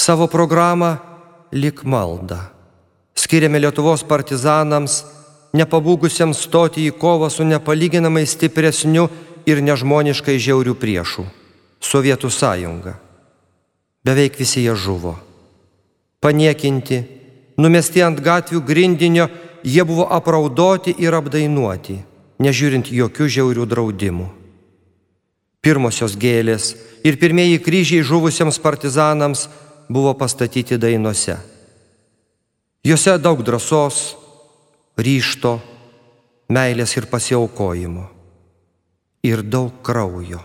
Savo programą lyg maldą skiriame Lietuvos partizanams, nepabūgusiems stoti į kovą su nepalyginamai stipresniu ir nežmoniškai žiauriu priešu – Sovietų sąjunga. Beveik visi jie žuvo. Paniekinti, numesti ant gatvių grindinio, jie buvo apraudoti ir apdainuoti, nežiūrint jokių žiaurių draudimų. Pirmosios gėlės ir pirmieji kryžiai žuvusiems partizanams buvo pastatyti dainose. Jose daug drąsos, ryžto, meilės ir pasiaukojimo. Ir daug kraujo.